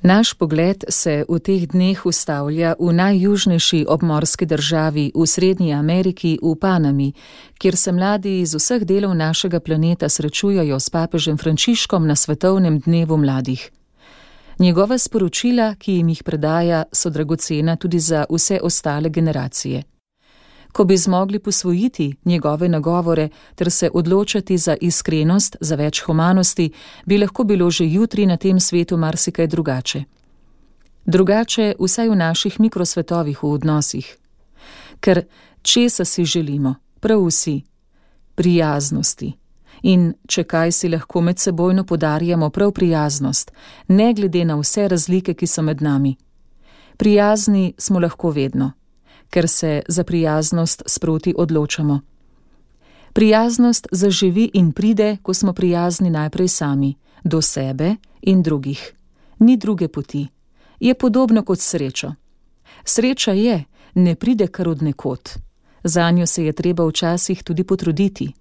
Naš pogled se v teh dneh ustavlja v najjužnejši obmorski državi v Srednji Ameriki, v Panami, kjer se mladi iz vseh delov našega planeta srečujejo s papežem Frančiškom na svetovnem dnevu mladih. Njegova sporočila, ki jim jih predaja, so dragocena tudi za vse ostale generacije. Ko bi zmogli posvojiti njegove nagovore ter se odločati za iskrenost, za več humanosti, bi lahko bilo že jutri na tem svetu marsikaj drugače. Drugače vsaj v naših mikrosvetovih v odnosih. Ker česa si želimo, prav vsi? Prijaznosti. In če kaj si lahko medsebojno podarjamo prav prijaznost, ne glede na vse razlike, ki so med nami. Prijazni smo lahko vedno, ker se za prijaznost sproti odločamo. Prijaznost zaživi in pride, ko smo prijazni najprej sami, do sebe in drugih. Ni druge poti. Je podobno kot srečo. Sreča je, ne pride kar od nekod. Zanjo se je treba včasih tudi potruditi.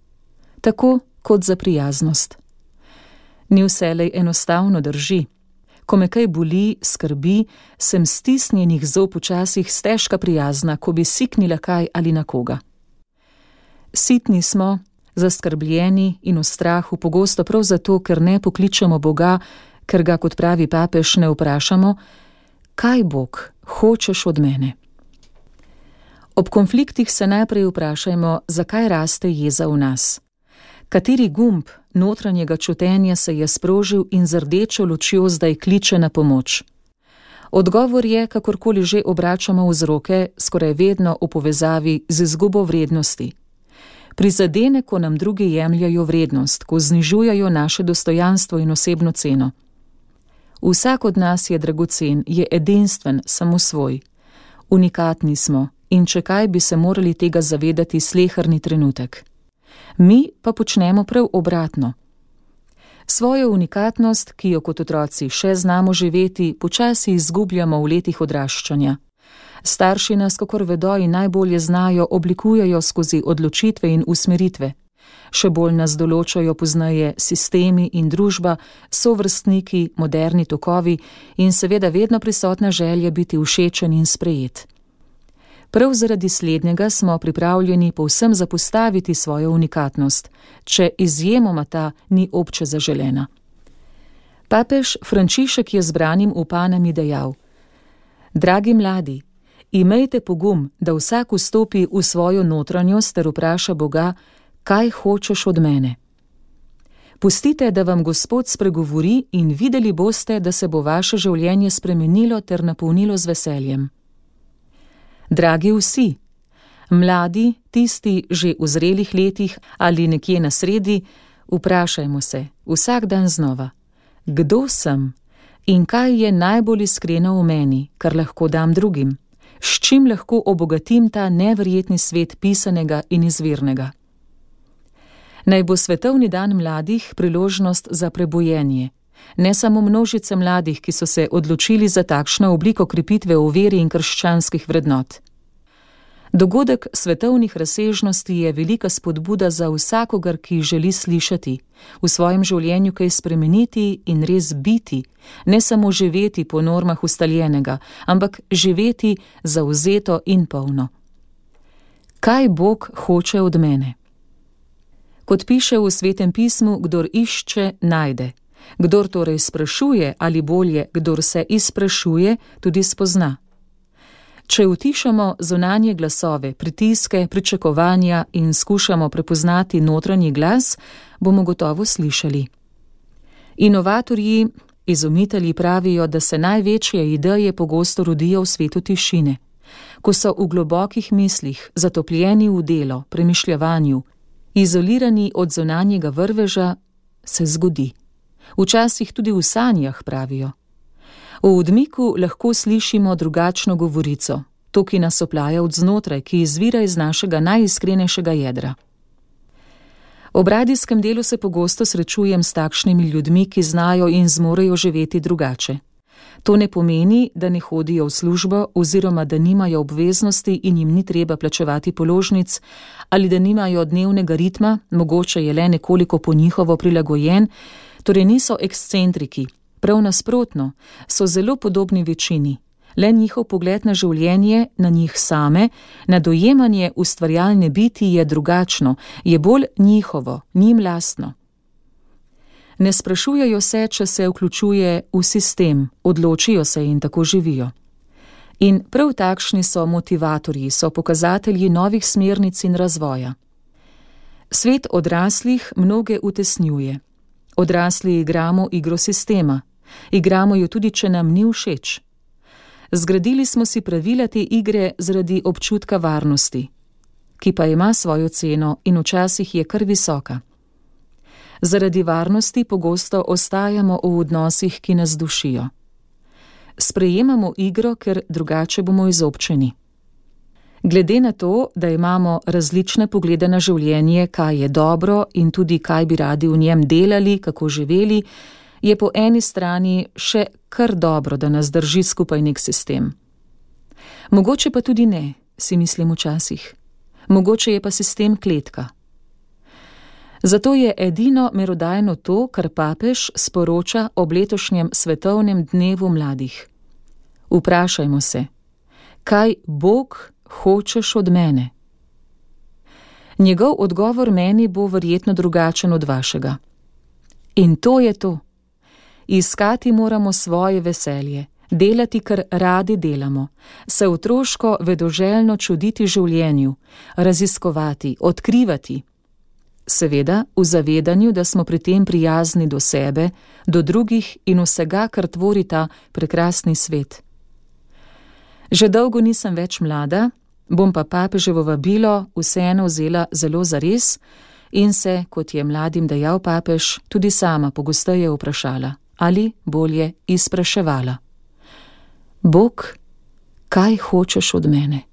Tako kot za prijaznost. Ni vselej enostavno, drži. Ko me kaj boli, skrbi, sem stisnjenih zob včasih stežka prijazna, ko bi siknila kaj ali na koga. Sitni smo, zaskrbljeni in v strahu, pogosto prav zato, ker ne pokličemo Boga, ker ga, kot pravi papež, ne vprašamo, kaj Bog hočeš od mene. Ob konfliktih se najprej vprašajmo, zakaj raste jeza v nas. Kateri gumb notranjega čutenja se je sprožil in z rdečo lučjo zdaj kliče na pomoč? Odgovor je, kakorkoli že obračamo vzroke, skoraj vedno v povezavi z izgubo vrednosti. Prizadene, ko nam drugi jemljajo vrednost, ko znižujajo naše dostojanstvo in osebno ceno. Vsak od nas je dragocen, je edinstven, samo svoj. Unikatni smo in če kaj bi se morali tega zavedati sleherni trenutek. Mi pa počnemo prav obratno. Svojo unikatnost, ki jo kot otroci še znamo živeti, počasi izgubljamo v letih odraščanja. Starši nas, kakor vedo in najbolje znajo, oblikujejo skozi odločitve in usmeritve. Še bolj nas določajo pozneje sistemi in družba, sovrstniki, moderni tokovi in seveda vedno prisotna želja biti všečen in sprejet. Prav zaradi slednjega smo pripravljeni povsem zapostaviti svojo unikatnost, če izjemoma ta ni obče zaželena. Papež Frančišek je zbranim v Panami dejal: Dragi mladi, imejte pogum, da vsak vstopi v svojo notranjost ter vpraša Boga, kaj hočeš od mene. Pustite, da vam Gospod spregovori in videli boste, da se bo vaše življenje spremenilo ter napolnilo z veseljem. Dragi vsi, mladi, tisti že v zrelih letih ali nekje na sredi, vprašajmo se vsak dan znova, kdo sem in kaj je najbolj iskreno v meni, kar lahko dam drugim, s čim lahko obogatim ta neverjetni svet pisanega in izvirnega. Naj bo svetovni dan mladih priložnost za prebojenje, ne samo množice mladih, ki so se odločili za takšno obliko krepitve v veri in krščanskih vrednot. Dogodek svetovnih razsežnosti je velika spodbuda za vsakogar, ki želi slišati, v svojem življenju kaj spremeniti in res biti, ne samo živeti po normah ustaljenega, ampak živeti zavzeto in polno. Kaj Bog hoče od mene? Kot piše v Svetem pismu, kdor išče, najde. Kdor torej sprašuje, ali bolje, kdor se izprašuje, tudi spozna. Če utišamo zunanje glasove, pritiske, pričakovanja in skušamo prepoznati notranji glas, bomo gotovo slišali. Inovatorji, izumitelji pravijo, da se največje ideje pogosto rodijo v svetu tišine. Ko so v globokih mislih, zatopljeni v delo, premišljavanju, izolirani od zunanjega vrveža, se zgodi. Včasih tudi v sanjah, pravijo. V odmiku lahko slišimo drugačno govorico, to, ki nas oplaja od znotraj, ki izvira iz našega najiskrenejšega jedra. Ob radijskem delu se pogosto srečujem s takšnimi ljudmi, ki znajo in zmorejo živeti drugače. To ne pomeni, da ne hodijo v službo oziroma da nimajo obveznosti in jim ni treba plačevati položnic ali da nimajo dnevnega ritma, mogoče je le nekoliko po njihovo prilagojen, torej niso ekscentriki, Prav nasprotno, so zelo podobni večini. Le njihov pogled na življenje, na njih same, na dojemanje ustvarjalne biti je drugačno, je bolj njihovo, njim lastno. Ne sprašujejo se, če se vključuje v sistem, odločijo se in tako živijo. In prav takšni so motivatorji, so pokazatelji novih smernic in razvoja. Svet odraslih mnoge utesnjuje. Odrasli igramo igro sistema. Igramo jo tudi, če nam ni všeč. Zgradili smo si pravila te igre zaradi občutka varnosti, ki pa ima svojo ceno in včasih je kar visoka. Zaradi varnosti pogosto ostajamo v odnosih, ki nas dušijo. Sprejemamo igro, ker drugače bomo izobčeni. Glede na to, da imamo različne poglede na življenje, kaj je dobro in tudi kaj bi radi v njem delali, kako živeli, je po eni strani še kar dobro, da nas drži skupaj nek sistem. Mogoče pa tudi ne, si mislim včasih. Mogoče je pa sistem kletka. Zato je edino merodajno to, kar papež sporoča ob letošnjem svetovnem dnevu mladih. Vprašajmo se, kaj Bog hočeš od mene? Njegov odgovor meni bo verjetno drugačen od vašega. In to je to. Iskati moramo svoje veselje, delati, kar radi delamo, se otroško vedoželjno čuditi življenju, raziskovati, odkrivati. Seveda v zavedanju, da smo pri tem prijazni do sebe, do drugih in vsega, kar tvori ta prekrasni svet. Že dolgo nisem več mlada, bom pa papeževo vabilo vseeno vzela zelo zares in se, kot je mladim dejal papež, tudi sama pogosteje vprašala, ali bolje izpraševala. Bog, kaj hočeš od mene?